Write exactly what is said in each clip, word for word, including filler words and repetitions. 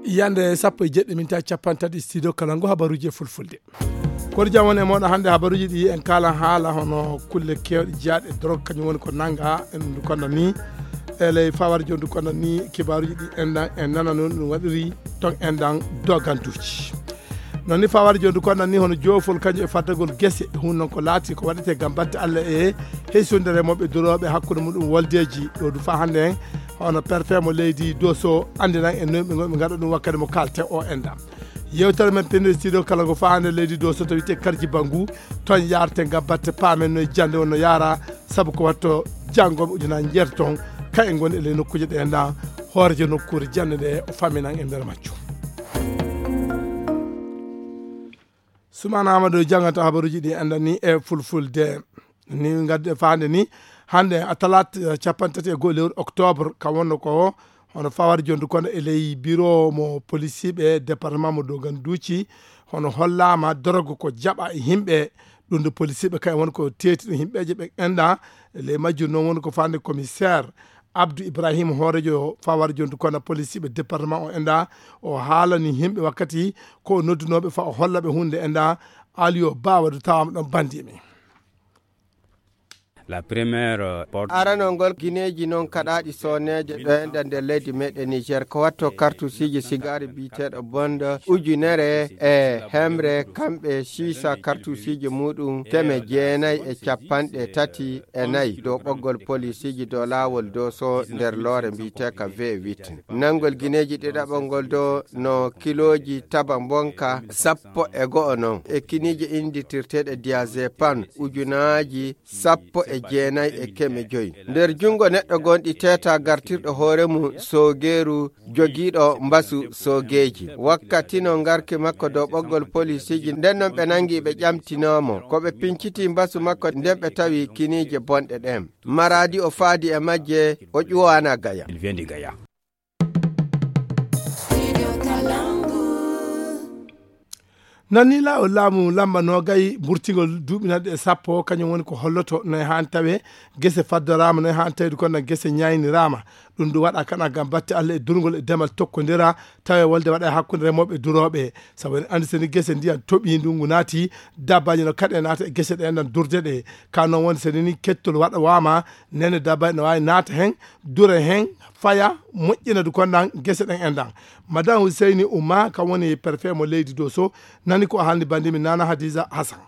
Yande sappo e jeɗɗi minta capantaɗi studio kala ngu habaruji e fulfulde. Koɗo jam woni e moɗo hannde habaruji ɗi en kala haala hono kulle kewɗe jeyaaɗe e drogue kañum woni ko nanga en ndu konda ni. E ley fawar jom ndu konda ni kibaruji ɗi enɗan en nana noon ɗum waɗiri ton enɗan doganduji. Noon ni fawar jom ndu konda ni hono joofol kañum e faddagol gese hun noon ko laati ko waɗete gam batte Allah e heysonde remoɓe durooɓe hakkunde muɗum woldeji ɗo du fa hannde en hono perfe mo leydi doso andinan en noon ɓe gonɓe gaɗa ɗum wakkati mo kalte o enɗan. Yewtere men pinde studio kala ngo faande leydi doso to witte karji bangu ton yarte gam batte paamen no jande on no yaara. Sabu ko watto janngoɓe ujunaaji jeetaton ka en ngoni e ley nokkuuje ɗe nda hoorejo nokkuure jannde nde o faminan e nder majjum. Sumana Amadou janngata habaruuji ɗi anndani e fulfulde. Ni ngadde faande ni hannde a talat capanɗe tati e goho lewru octobre ka wonno ko hono fawar jondu kono e ley biro mo polisiiɓe département mo doganduuci hono hollaama dorogo ko jaɓa e yimɓe. Ɗum nde polisiiɓe kay won ko teeti ɗum yimɓeeje ɓe enɗa e ley majjum noon woni ko faande commissaire Abdou Ibrahima hoorejo fawar jondu kono polisiiɓe département o enɗa o haalani yimɓe wakkati ko o noddunooɓe fa o holla ɓe hunde enɗa. Aliyo bawa do tawama ɗon bandi men. La première porte. Aranol ngol gineeji noon kaɗaaɗi sooneeje ɗo enɗa nder leydi meɗen Niger ko watto kartusiiji sigaari biyeteeɗo bonda ujunere e hemre kamɓe siisa kartusiiji muɗum teme jeenayi e capanɗe tati e nayi dow ɓoggol polisiiji dow laawol doso nder loore mbiyeteeka V huit. Nanngol gineeji ɗiɗaɓol ngol do no kilooji taba mbonka sappo e go'o noon e kiniije inndirteeɗe diazepam ujunaaji sappo e jeenayi e keme joyi nder junngo neɗɗo gonɗi teeta gartirɗo hoore mum soogeeru jogiiɗo mbasu soogeeji. Wakkati no ngarki makko dow ɓoggol polisiiji nden noon ɓe nanngi ɓe ƴamtinoomo ko ɓe pinciti mbasu makko nden ɓe tawi kiniije bonɗe ɗen. Maradi o faadi e majje o ƴuwana gaya. Nanni laawol laamu lamba nogay mburtingol duuɓi nanɗe e sappo kañum woni ko holloto no e haan tawe gese faddoraama no e haan tawde kono gese ñayniraama. Ɗum ɗum waɗa kana gam batte Allah e durngol e demal tokkondira tawe wolde waɗa e hakkunde remooɓe e durooɓe. Sabu en anndi seni gese ndiyan toɓi ndungu naati dabbaji no kaɗe naata e gese ɗe enɗan durde ɗe ka noon woni seni ni kettol waɗa wama nene dabbaji no wawi naata hen dure hen faya moƴƴina du konɗan gese ɗen enɗan. Madame Huseyni Umma kam woni préfet mo leydi Doso nani ko haalni bandimi Nana Hadiza Hassan.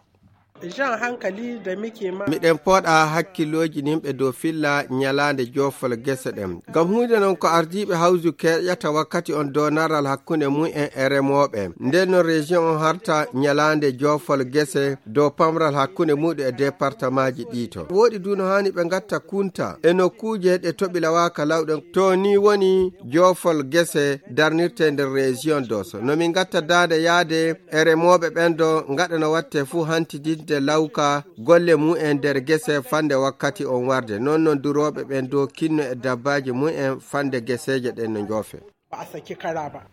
Jan hankali da muke ma. Miɗen pooɗa hakkillooji nimɓe dow filla ñalaande joofol gese ɗen. Ngam huunde non ko ardiiɓe hawju keƴata wakkati on doonaral hakkunde mumen e remooɓe. Nden non région on harta ñalaande joofol gese dow pamral hakkunde muɗum e départemaaji ɗii to. Wooɗi du no haani ɓe ngatta kunta e nokkuuje ɗe toɓi lawaaka lawɗen. To ni woni joofol gese darnirte nder région Doso. No min ngatta daande yaade e remooɓe ɓen do ngaɗa no watte fuu hantidinde lawka golle mumen nder gese fande wakkati on warde. Non non durooɓe ɓen do kinno e dabbaaji mumen fande geseeje ɗen no njoofe. Ba a saki kara ba.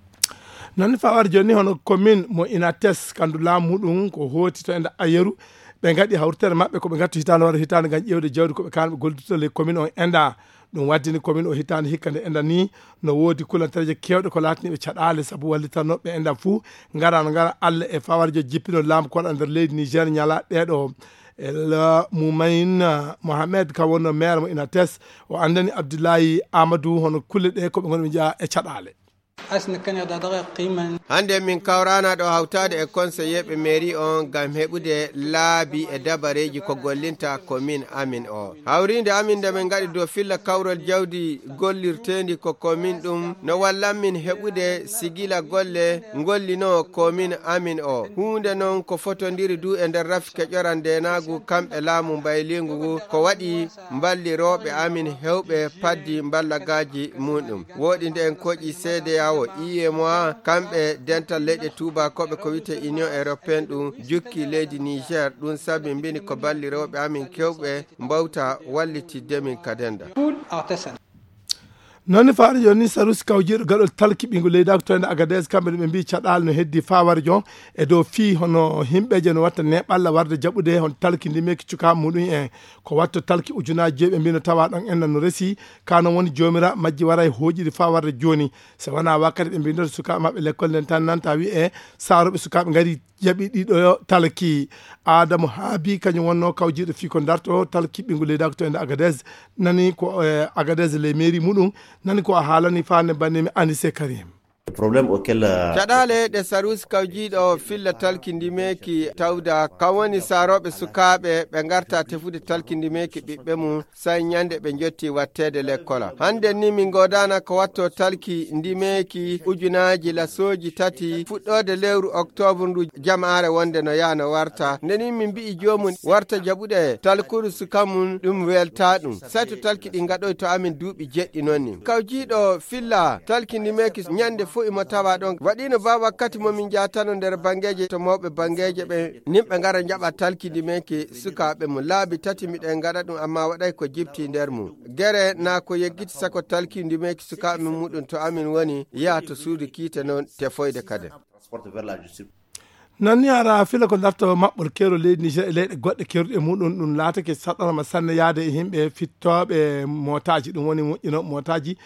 Noon fawar joni hono commune mo Inates kandu laamu muɗum ko hooti to enda ayeru ɓe ngaɗi hawritere maɓɓe ko ɓe ngattu hitaande wara hitaande ngam ƴeewde jawdi ko ɓe kaan ɓe gollidata ley commune on enda. Ɗum waddini commune o hitaande hikka nde enda ni no woodi kulantareeje keewɗe ko laataniiɓe caɗaale sabu wallitanooɓe enda fuu ngara no ngara Allah e fawarjo jippino laamu koɗa nder leydi Niger ñala ɗeeɗo. El Mumain Mohamed kam wonno maire mo Inates o anndani Abdullahi Amadou hono kulle ɗe ko ɓe ngoni ɓe njeya e caɗaale. Asna kanya da daga qiman. Hannde min kawrana ɗo hawtaade e konseyeeɓe mairie on ngam heɓude laabi e dabareeji ko gollinta commune amin o. Hawriinde amin nde min ngaɗi dow filla kawral jawdi gollirteendi ko commune ɗum no wallan min heɓude sigila golle ngollinoo commune amin o. Huunde non ko fotondiri du e nder rafi keƴoral ndeenaagu kamɓe laamu mbayliingu ngu ko waɗi mballirooɓe amin hewɓe paddi mballagaaji muɗum. Wooɗi nde en koƴi C D A O, U E M O A, kamɓe dental leyɗe tuubakooɓe ko wiyte Union Européenne ɗum jukki leydi Niger, ɗum sabi mbini ko ballirooɓe amin kewɓe mbawta wallitidde min ka denda. Food artisan. Noon ne faari jooni, Sarusi kawjiiɗo gaɗol talki ɓiyngu leydi ko toyna Agades, kamɓe ne ɓe mbii caɗaali no heddi faawarjo e dow fii hono himɓeeje no watta neeɓalla warde jaɓude hono talki ndimeeki cukaaɓe muɗum en. Ko watto talki ujunaaji joyi ɓe mbii no tawa ɗon enna no resi, ka noon woni joomira majji waray hooƴiri faa warde jooni. So wonaa wakkati ɓe mbii noon sukaaɓe maɓɓe lekkol nden tan nanta wi'e saarooɓe sukaaɓe ngari jaɓi ɗiɗo talki. Adamu Haabi kañum wonno kawjiiɗo fii ko darto talki ɓiyngu leydi ko toyna Agades, nani ko e Agades le mairie muɗum, nani ko a haalani faande banndimi Anise Karim. Problème auquel, euh, caɗaale ɗe Sarusi kawjiiɗo filla talki ndimeeki tawda, kan woni saarooɓe sukaaɓe ɓe ngarta tefude talki ndimeeki ɓiɓɓe mum, say ñande ɓe njotti watteede lekkola. Hannde ni min ngoodaana ko watto talki ndimeeki ujunaaji lasooji tati fuɗɗoode lewru oktoobre ndu, jamaare wonde no yaha no warta. Nde ni min mbi'i joomum warta jaɓude talkuru suka mum, ɗum welta ɗum. Say to talki ɗi ngaɗoy to amin duuɓi jeɗɗi noon ni. Kawjiiɗo filla talki ndimeeki ñande fof imo tawa ɗon. Waɗiino ba wakkati mo min njaatano nder banngeeje to mawɓe banngeeje ɓe, nimɓe ngara njaɓa talki ndimeeki sukaaɓe mum. Laabi tati miɗen ngaɗa ɗum, amma waɗay ko jipti nder mum. Gere na ko yeggiti sako talki ndimeeki sukaaɓe mum muɗum to amin woni, yaha to suudu kiite noon tefoyde kadi. Nanni ara fila ko darto maɓɓol keero leydi Niger e leyɗe goɗɗe keeruɗe muɗum, ɗum laatake saɗɗorma sanne yaade e yimɓe fittooɓe mootaaji, ɗum woni moƴƴinooɓe mootaaji.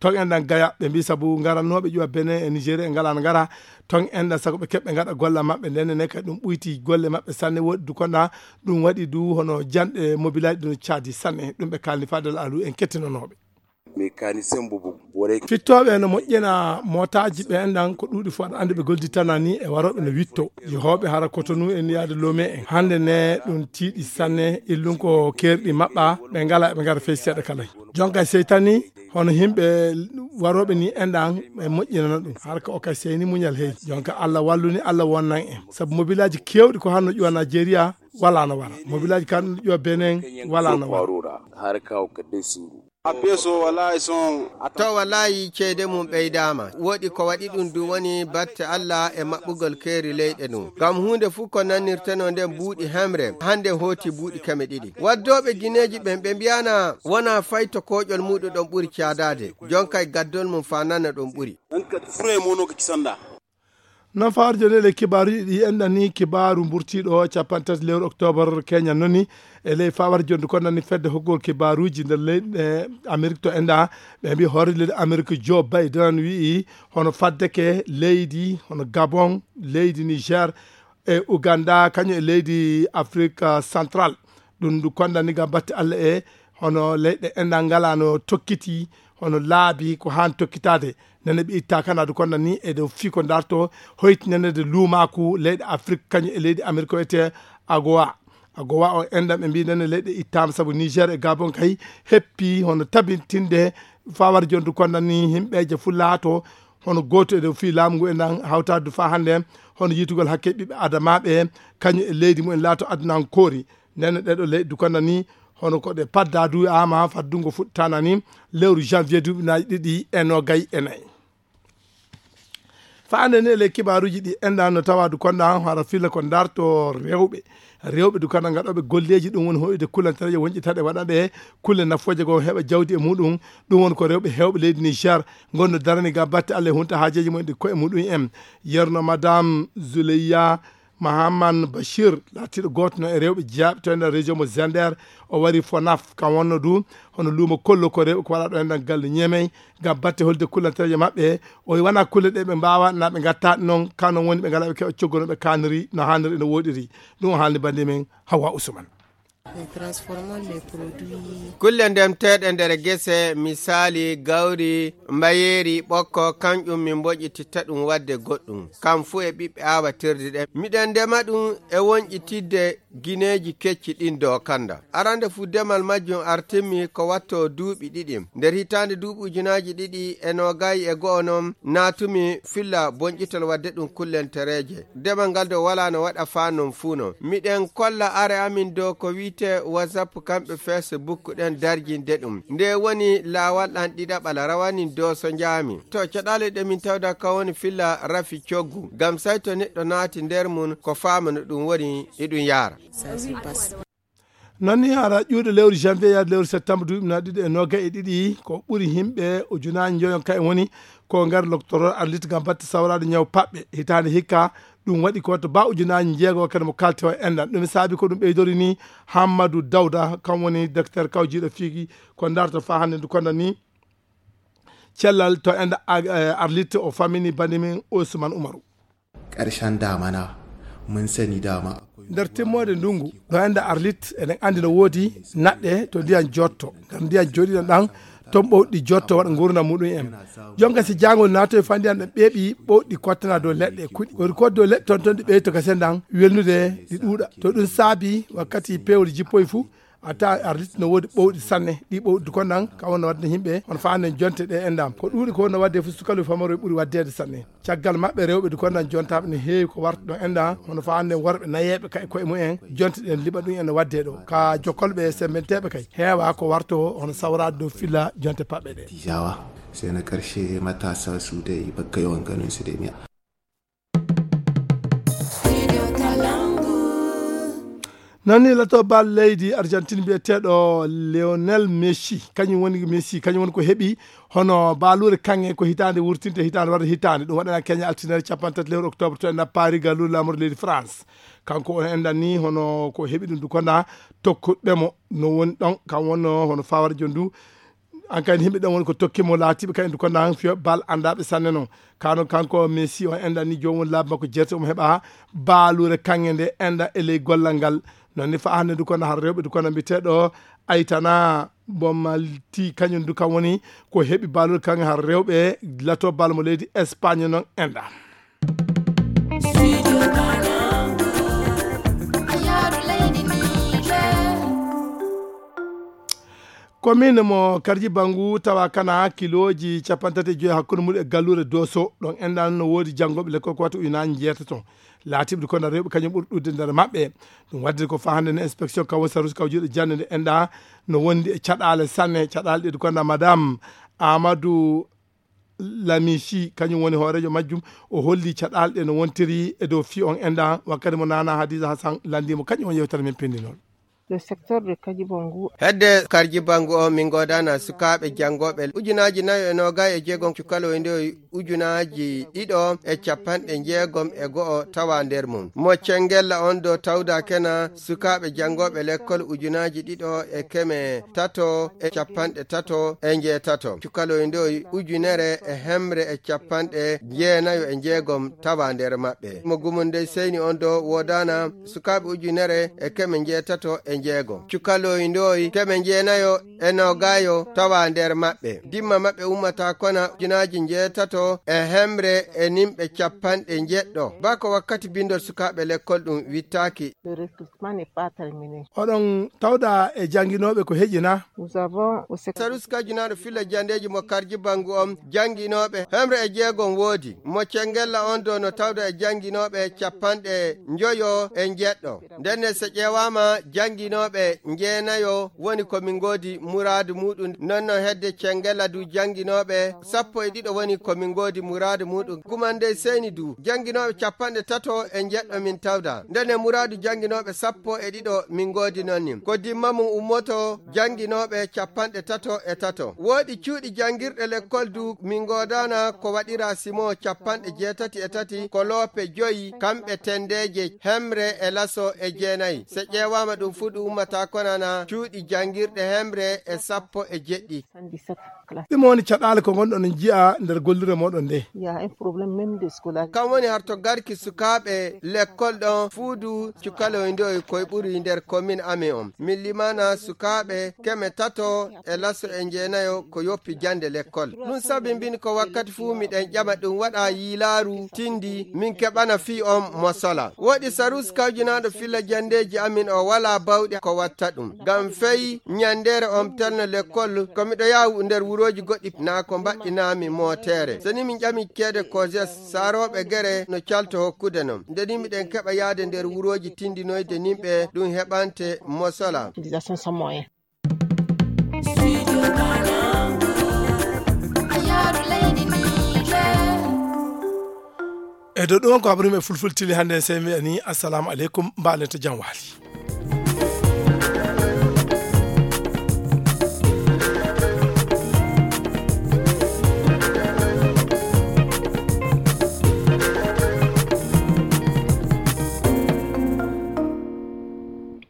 Ton enɗan gaya, ɓe mbii sabu ngarannooɓe ƴuwa Benin e Nigeria e ngalaa no ngara. Ton enɗan sago ɓe keɓɓe ngaɗa golla maɓɓe, nden ne kadi ɗum ɓuyti golle maɓɓe sanne. Woodi du konɗa ɗum waɗi du hono janɗe mobilaaji ɗum caadi sanne, ɗum ɓe kalni fadel alu en kettinonooɓe. Mécanicien bobo bore. Fittooɓe no moƴƴina mootaaji ɓe enɗan ko ɗuuɗi fof aɗa anndi ɓe gollitana ni e warooɓe no witto. Yehooɓe hara Cotonou en yaade Lomé en. Hannde ne ɗum tiiɗi sanne, illun ko keerɗi maɓɓa, ɓe ngala ɓe ngara fey seeɗa kala. Jonka seytani hono yimɓe warooɓe ni enɗan ɓe moƴƴinana ɗum. Har ka oka seyni muñal hey. Jonka Allah wallu ni Allah wonnan en. Sabu mobilaaji keewɗi ko hanno ƴuwa Nigeria wala no wara. Mobilaaji kan ƴuwa Benin wala no wara. Har ka oka desuru. A peso wallahi son. To wallahi ceede mum ɓeydaama. Woɗi ko waɗi ɗum du woni batte Allah e maɓɓugol keeri leyɗe ɗum. Ngam huunde fuu ko nannirtenoo nden buuɗi hemre, hannde hooti buuɗi keme ɗiɗi. Waddooɓe gineeji ɓen ɓe mbi'ana wonaa fay to kooƴol muuɗum ɗon ɓuri caadaade. Jonkay gaddol mum faa nana ɗum ɓuri. Ɗan ka fure mono ka kisanda. Noon fawarjo nde le kibaaruji ɗi enɗan ni kibaaru mburtiiɗo capanɗe tati lewru oktoobar keñan noon ni e ley fawar jondu ko nani fedde hokkugol kibaaruji nder leyɗe Amerik to enɗa ɓe mbi hoore leydi Amerik Joe Biden wi'i hono faddeke leydi hono Gabon, leydi Niger e Uganda kañum e leydi Afrik Central. Ɗum ndu kondani ngam batte Allah e hono leyɗe enɗan ngalano tokkiti hono laabi ko haan tokkitaade. Nene ɓe itta kanadu kondani e dow fii ko darto hoytinanede luumaaku leyɗe Afrik kañum e leydi Amerik o wiyete agowa. Agowa o enɗan ɓe mbi nene leyɗe ittaama sabu Niger e Gabon kay heppi hono tabintinde fawar jondu kondani himɓeeje fuu laato hono gooto e dow fii laamu ngu enɗan hawtaade faa hannde hono yiytugol hakke ɓiɓɓe adamaaɓe kañum e leydi mumen laato adunankoori. Nene ɗeɗo leyɗe dukana ni hono ko ɗe padda du ama faddungo fuɗtana ni lewru janvier duuɓi nayi ɗiɗi e nogay e nayi. Faande ni le kibaaruji ɗi enɗan no tawa du konɗa hara fila ko darto rewɓe. Rewɓe du kana ngaɗoɓe golleji ɗum woni hoyde kulantareje wonƴi taɗe waɗaɓe kulle nafoje go heɓa jawdi e muɗum. Ɗum woni ko rewɓe hewɓe leydi Niger ngonno darani ga batte Allah e hunta haajeji mumen ɗi koye muɗum en. Yerno madame Zuleyya Mahaman Bachir laatiiɗo gooto no e rewɓe jeyaaɓe to enɗan région mo Zander. O wari Fonaf kam wonno du hono luumo kollo ko rewɓe ko waɗa ɗo enɗan galle ñeemey ngam batte holde kullantereje maɓɓe. O wona kulle ɗe ɓe mbaawa na ɓe ngatta noon kano woni ɓe ngala ɓe keɓa coggono ɓe kaniri no haniri no woɗiri. Ɗum o haalni bande men Hawa Usman. Kulle ndemteeɗe nder gese, misaali, gawri, mbayeeri, ɓokko, kanƴum min mboƴƴititta ɗum waɗde goɗɗum. Kam fuu e ɓiɓɓe aawatirde ɗen. Miɗen ndema ɗum e wonƴitidde gineeji kecci ɗin dookanda. Arande fuu demal majjum artimmi ko watto duuɓi ɗiɗi. Nder hitaande duuɓi ujunaaji ɗiɗi e noogay e go'o non, naatumi filla bonƴitol waɗde ɗum kullentereeje. Demal ngal ɗo walaa no waɗa faa non fuu non. Miɗen kolla are amin dow ko wi'etee WhatsApp kamɓe Facebook ɗen darjinde ɗum. Nde woni laawal ɗan ɗiɗaɓal rawanin dow so njaami. To caɗaale ɗe min tawda ka woni filla rafi coggu. Ngam say to neɗɗo naati nder mun ko faama no ɗum woni e ɗum yaara. Noon ni hara ƴuuɗo lewru janvier yaade lewru septembre duuɓi na ɗiɗi e noga e ɗiɗi, ko ɓuri himɓe ujunaaji njoyon kay woni ko ngar loktoro arlit ngam batte sawraade ñaw paɓɓe. Hitaande hikka ɗum waɗi ko to ba ujunaaji njeego kadi mo kalte o enɗan. Ɗum saabi ko ɗum ɓeydori ni Hammadou Dawda, kam woni docteur kawjiiɗo fiigi ko darto faa hannde ndu konda ni cellal to enɗa arlit o famini bandi min Ousmane Oumarou. Ƙarshen damana, mun sani dama akwai nder timmoode ndungu ɗo enɗa arlit eɗen anndi no woodi naɗɗe to ndiyan jotto, ngam ndiyan jooɗiɗan ɗan ton ɓowɗi jotto waɗa ngurna muɗum en. Jonka si jangol naatoy fa ndiyan ɗan ɓeeɓi ɓowɗi kottana dow leɗɗe kuɗi woni ko dow leɗɗe ton ton ɗi ɓeyto gasen ɗan welnude ɗi ɗuuɗa. To ɗum saabi wakkati peewol jippoy fuu a ta arlit no woodi ɓowɗi sanne. Ɗi ɓowɗi kon ɗan ka wonno wadde himɓe on fa annen jonte ɗe enɗam ko ɗuuɗi ko wonno wadde fof sukaloy famaro ɓuri waddede sanne. Caggal maɓɓe rewɓe du kon ɗan jontaɓe ne heewi ko warta ɗon enɗa hono fa annen worɓe nayeɓe kay koye mumen jonte ɗen liɓa ɗum ene wadde ɗo ka jokkolɓe sembenteɓe kay heewa ko warto hono sawrade dow filla jonte paɓɓe ɗe. Jawa sai na karshe matasa su dai bakka yawan ganin su dai miya. Nani lato bal leydi Argentine mbiyeteeɗo Lionel Messi, kañum woni Messi, kañum woni ko heɓi hono baaluure kaŋŋe ko hitaande wurtinte hitaande warde hitaande. Ɗum waɗana Kenya altine capanɗe tati lewru octobre to enɗa Paris galluure laamorde leydi France. Kanko on enɗan ni hono ko heɓi ɗum du konda tokkuɓe mo no woni ɗon kam wonno hono fawara jon du. An kadi himɓe ɗen woni ko tokki mo laatiɓe kadi ko nan fiyo bal andaɓe sanne non. Kano kanko Messi on enɗan ni joomum laabi makko jeerte omo heɓa baalure kanŋe nde enɗa e ley gollal ngal. Non ni fa hannde du kono har rewɓe du kono mbiyeteɗo Aytana Bomalti kañum du kam woni ko heɓi baalure kanŋe har rewɓe lato bal mo leydi Espagne non enɗa. Commune mo Karji Bangu tawa kana kilooji capanɗe tati e joyi hakkunde mum e galluure Doso. Ɗon enɗan no woodi janngooɓe lekkol ko wata ujunaaji njeetato. Laatiɓe ko na rewɓe kañum ɓuri ɗuuɗde nder maɓɓe. Ɗum waɗde ko fahande no inspection kawo sarus kawo juuɗe jannde nde enɗa no wondi e caɗaale sanne. Caɗaale ɗe ko na madame Amadou Lamichi kañum woni hooreejo majjum. O holli caɗaale ɗe no wontiri e dow fii on enɗa wakkati mo Nana Hadiza Hassan lanndimo kañum on yewtere men pindinol. Le secteur de Kajibangu. Hedde Karji Bangu o min godana sukaaɓe janngooɓe ujunaaji nayo e noogay e jeegom cukaloy nde ujunaaji ɗiɗo e capanɗe jeegom e go'o tawa nder mum. Mo Cengella on do tawda kena sukaaɓe janngooɓe lekkol ujunaaji ɗiɗo e keme tato e capanɗe tato e njeetato. Cukaloy ndoy ujunere e hemre e capanɗe jeenayo e jeegom tawa nder maɓɓe. Mo gumunde seyni on do wodana sukaaɓe ujunere e keme njeetato e jeegom. Cukaloy ndoy keme jeenayo e nogayo tawa nder maɓɓe. Dimma maɓɓe ummata kona ujunaaji njeetato e hemre e nimɓe capanɗe jeɗɗo. Bako wakkati bindol sukaaɓe lekkol ɗum wittaaki. Le recrutement n'est pas terminé. Oɗon tawda e jannginooɓe ko heƴina. Nous avons au sec- Sarus kajunaaɗo filla jandeeji mo Karji Bangu on jannginooɓe hemre e jeegom woodi. Mo Cengella on do no tawda e jannginooɓe capanɗe njoyo e jeɗɗo. Ndenne so ƴeewaama jannginooɓe jeenayo woni ko min ngoodi muraadu muɗum. Nonno hedde Cengella du jannginooɓe sappo e ɗiɗo woni ko min ngoodi muraadu muɗum. Gumande seyni du jannginooɓe capanɗe tato e jeɗɗo min tawda. Ndenne muraadu jannginooɓe sappo e ɗiɗo min ngoodi noon ni. Ko dimma mum ummoto jannginooɓe capanɗe tato e tato. Woodi cuuɗi janngirɗe lekkol du min ngoodana ko waɗira simo capanɗe jeetati e tati ko loope joyi kamɓe tendeeje hemre e laso e jeenayi. So ƴeewaama ɗum fuu ɗum ummata konana cuuɗi janngirɗe hemre e sappo e jeɗɗi. Ɗum woni caɗaale ko ngonɗon on njiya nder gollure moɗon nde. Il y a un problème même de scolarité. Kam woni har to garki sukaaɓe lekkol ɗon fuudu cukaloy ndoy koye ɓuri nder commune amin on. Min limana sukaaɓe keme tato e laso e jeenayo ko yoppi jannde lekkol. Ɗum sabi mbin ko wakkati fuu miɗen ƴama ɗum waɗa yiilaaru tindi min keɓana fii on mo sola. Woɗi Sarus kawjinaaɗo filla janndeeji amin o walaa bawɗe ko watta ɗum. Ngam fey ñanndeere on telno lekkol ko miɗo yaha nder wurooji goɗɗi naa ko mbaɗɗinaami mooteere. So ni min ƴami ceede Koses saarooɓe gere no calto hokkude non. Nde ni miɗen keɓa yahde nder wurooji tindinoyde nimɓe ɗum heɓante mo sola. E dow ɗum on ko habaruuji e fulfulde tili hannde, sey mi wiya ni assalamu aleykum, mbaɗen to jam waali.